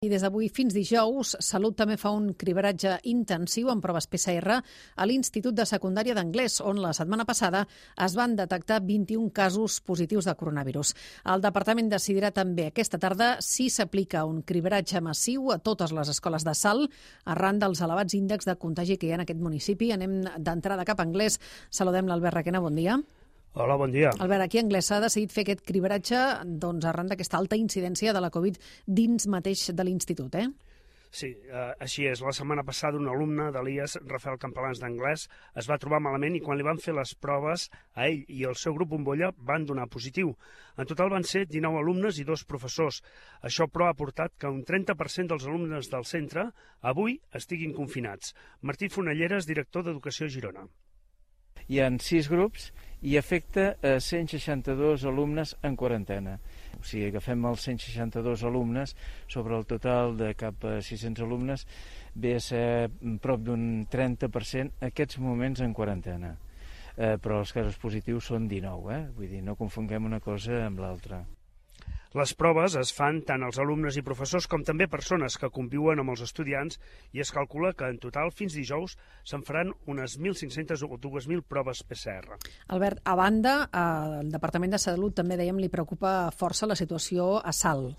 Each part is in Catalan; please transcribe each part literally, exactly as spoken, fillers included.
I des d'avui fins dijous, Salut també fa un cribaratge intensiu amb proves P C R a l'Institut de Secundària d'Anglès, on la setmana passada es van detectar vint-i-un casos positius de coronavirus. El departament decidirà també aquesta tarda si s'aplica un cribaratge massiu a totes les escoles de Salt arran dels elevats índexs de contagi que hi ha en aquest municipi. Anem d'entrada cap a Anglès. Saludem l'Albert Requena, bon dia. Hola, bon dia. Albert, aquí a Anglès s'ha decidit fer aquest cribaratge doncs, arran d'aquesta alta incidència de la Covid dins mateix de l'institut, eh? Sí, eh, així és. La setmana passada un alumne de l'I E S, Rafael Campalans d'Anglès, es va trobar malament i quan li van fer les proves a ell i el seu grup bombolla van donar positiu. En total van ser dinou alumnes i dos professors. Això, però, ha portat que un trenta per cent dels alumnes del centre avui estiguin confinats. Martí Fonelleres, director d'Educació a Girona. Hi ha sis grups i afecta a cent seixanta-dos alumnes en quarantena. O sigui, agafem els cent seixanta-dos alumnes sobre el total de cap a sis-cents alumnes, ve a ser prop d'un trenta per cent aquests moments en quarantena. Eh, però els casos positius són dinou, eh? Vull dir, no confonguem una cosa amb l'altra. Les proves es fan tant als alumnes i professors com també persones que conviuen amb els estudiants i es calcula que en total fins dijous se'n faran unes mil cinc-centes o dues mil proves P C R. Albert, a banda, el Departament de Salut també, dèiem, li preocupa força la situació a Salt.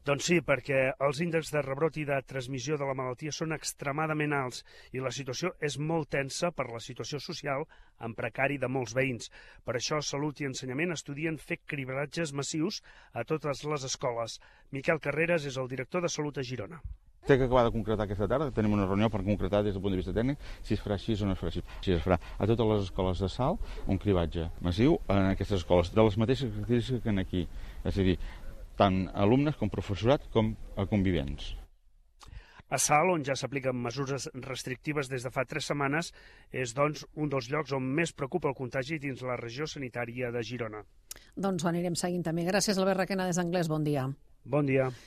Doncs sí, perquè els índexs de rebrot i de transmissió de la malaltia són extremadament alts i la situació és molt tensa per la situació social en precari de molts veïns. Per això Salut i Ensenyament estudien fer cribaratges massius a totes les escoles. Miquel Carreras és el director de Salut a Girona. Té que acabar de concretar aquesta tarda, tenim una reunió per concretar des del punt de vista tècnic si es farà així o no es farà així. Si es farà a totes les escoles de Salt un cribatge massiu en aquestes escoles, de les mateixes característiques que en aquí, és a dir, tant alumnes com professorat com a convivents. A Salt, on ja s'apliquen mesures restrictives des de fa tres setmanes, és doncs un dels llocs on més preocupa el contagi dins la regió sanitària de Girona. Doncs ho anirem seguint també. Gràcies, Albert Requena, des d'Anglès. Bon dia. Bon dia.